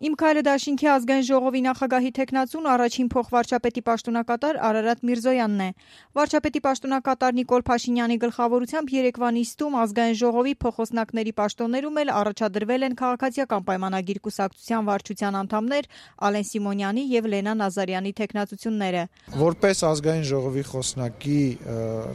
Իմ քայլը դաշինքի ազգային ժողովի նախագահի թեկնածուն առաջին փոխվարչապետի պաշտոնակատար Արարատ Միրզոյանն է։ Վարչապետի պաշտոնակատար Նիկոլ Փաշինյանի գլխավորությամբ երեկվա նիստում ազգային ժողովի փոխոսնակների պաշտոններում էլ առաջադրվել են քաղաքացիական պայմանագիր կուսակցության վարչության անդամներ Ալեն Սիմոնյանի եւ Լենա Նազարյանի թեկնածությունները։ Որպես ազգային ժողովի խոսնակի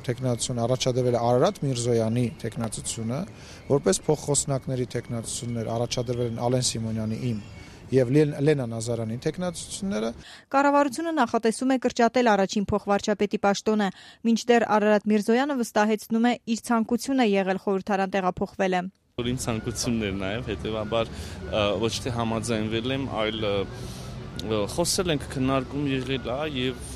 թեկնածություն առաջադրվել է Արարատ Միրզոյանի թեկնածությունը, որպես փոխխոսնակների թեկնածություններ առաջադրվել են Ալեն Սիմոնյանի իմ եւ Լենա Նազարյանի թեկնածությունները։ Կառավարությունը նախատեսում է կրճատել առաջին փոխվարչապետի պաշտոնը, մինչդեռ Արարատ Միրզոյանը վստահեցնում է իր ցանկությունը եղել խորհրդարան տեղափոխվելը։ Իմ ցանկությունն էր նաեւ, հետեւաբար ոչ թե համաձայնվել եմ, այլ խոսել ենք, քննարկում եղել է եւ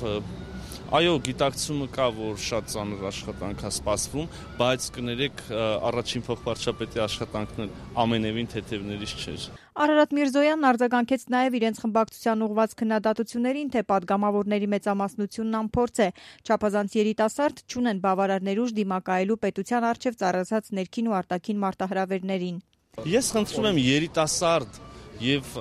այո, գիտակցումը կա, որ շատ ծանր աշխատանք է սպասվում, բայց կներեք առաջին փոխվարչապետի աշխատանքն ամենևին թեթևներից չէր։ Արարատ Միրզոյանն արձագանքեց նաև իրենց խմբակցության ուղղված քննադատություններին, թե պատգամավորների մեծամասնությունն անփորձ է, չափազանց երիտասարդ, չունեն բավարար ներուժ դիմակայելու պետության առջև ծառացած ներքին ու արտաքին մարտահրավերներին։ Ես խնդրում եմ երիտասարդ եւ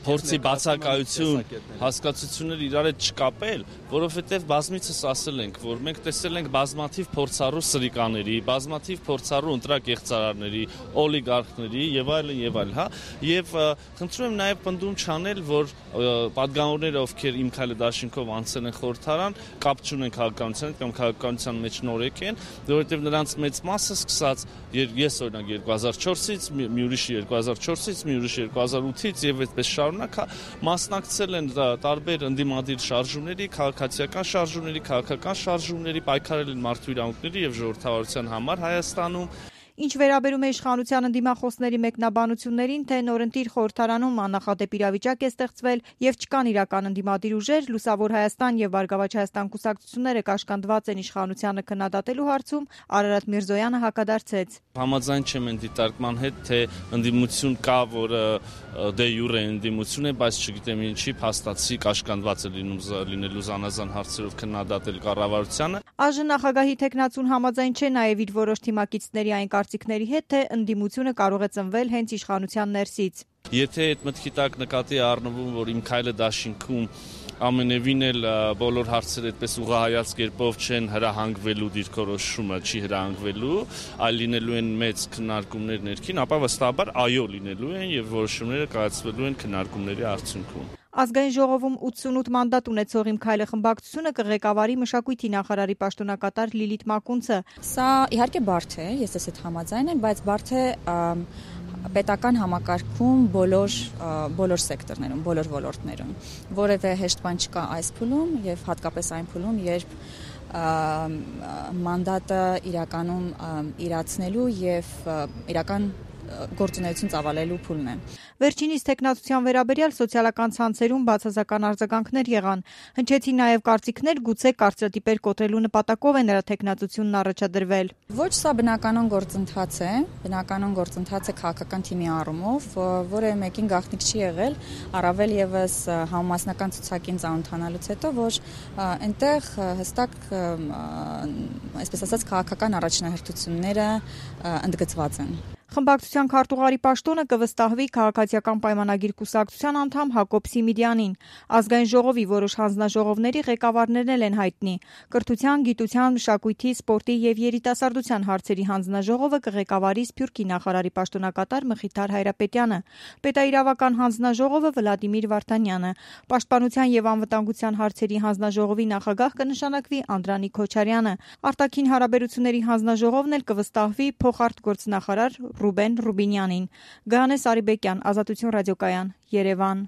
փորձի բացակայություն հասկացություններ իրար հետ չկապել, որովհետև բազմիցս ասել ենք, որ մենք տեսել ենք բազմաթիվ փորձառու սրիկաների, բազմաթիվ փորձառու ընտրակեղծարարների, օլիգարխների եւ այլն, հա, եւ խնդրում եմ նաեւ պնդում չանել, որ պատգամավորները, ովքեր իմ քայլը դաշինքով անցել են խորհրդարան, կապ չունեն քաղաքականության հետ կամ քաղաքականության մեջ նորեկ են, որովհետև նրանց մեծ մասը սկսած ես օրինակ 2004-ից, մի ուրիշը 2004-ից, մի ուրիշը 2008-ից եւ այդպես մասնակցել են տարբեր ընդդիմադիր շարժումների, քաղաքացիական շարժումների, քաղաքական շարժումների, պայքարել են մարդու իրավունքների եւ ժողովրդավարության համար Հայաստանում։ Ինչ վերաբերում է իշխանության ընդդիմախոսների մեկնաբանություններին, թե նորընտիր խորհրդարանում աննախադեպ իրավիճակ է ստեղծվել եւ չկան իրական ընդդիմադիր ուժեր, Լուսավոր Հայաստան եւ Բարգավաճ Հայաստան կուսակցությունները կաշկանդված են իշխանությանը քննադատելու հարցում, Արարատ Միրզոյանը հակադարձեց։ Համաձայն չեմ այն դիտարկման հետ, թե ընդդիմություն կա, որը դե յուրե ընդդիմություն է, բայց չգիտեմ ինչի փաստացի կաշկանդված է լինելու զանազան հարցերով քննադատել կառավարությանը։ Այժմ նախագահի թեկնածուն համաձայն չէ նաեւ իր որոշ թիմակիցների այն կարծիքների հետ, թե ընդդիմությունը կարող է ծնվել հենց իշխանության ներսից։ Եթե այդ մտքի տակ նկատի է առնվում, որ իմ քայլը դաշինքում ամենևին էլ բոլոր հարցերը այդպես ուղղահայաց կերպով չեն հրահանգվելու դիրքորոշումը չի հրահանգվելու, այլ լինելու են մեծ քննարկումներ ներքին, ապա վստահաբար այո լինելու են եւ որոշումները կայացվելու են քննարկումների արդյունքում։ Ազգային ժողովում 88 մանդատ ունեցող Իմ քայլը խմբակցությունը կղեկավարի մշակույթի նախարարի պաշտոնակատար Լիլիթ Մակունցը։ Սա իհարկե բարդ է, ես ես այդ համաձայն եմ, բայց բարդ է պետական համակարգում բոլոր սեկտորներում, բոլոր ոլորտներում, որևէ հեշտ բան չկա այս փուլում եւ հատկապես այն փուլում, երբ մանդատը իրականում իրացնելու եւ իրական գործունեություն ծավալելու փուլն է։ Վերջինիս թեկնածության վերաբերյալ սոցիալական ցանցերում բացասական արձագանքներ եղան։ Հնչեցին նաև կարծիքներ, գուցե կարծրատիպեր կոտրելու նպատակով է նրա թեկնածությունն առաջադրվել։ Ոչ, սա բնականon գործընթաց է, քաղաքական թիմի առումով, որը մեկին գաղտնիք չի եղել, առավել եւս համամասնական ցուցակին ծանոթանալուց հետո, որ այնտեղ հստակ, այսպես ասած, քաղաքական առաջնահերթությունները ընդգծված են։ Խմբակցության քարտուղարի պաշտոնը կվստահվի քաղաքացիական պայմանագիր կուսակցության անդամ Հակոբ Սիմիդյանին։ Ազգային ժողովի որոշ հանձնաժողովների ղեկավարներն էլ են հայտնի։ Կրթության, գիտության, մշակույթի, սպորտի եւ երիտասարդության հարցերի հանձնաժողովը կղեկավարի Սփյուռքի նախարարի պաշտոնակատար Մխիթար Հայրապետյանը, պետաիրավական հանձնաժողովը Վլադիմիր Վարդանյանը, պաշտպանության եւ անվտանգության հարցերի հանձնաժողովի նախագահ կնշանակվի Անդրանիկ Քոչարյանը, արտաքին հարաբերությունների հանձնաժողովն էլ կվստահվի փոխարտգործնախարար Ռուբեն Ռուբինյանին։ Գայանե Սարիբեկյան, Ազատություն ռադիոկայան, Երևան։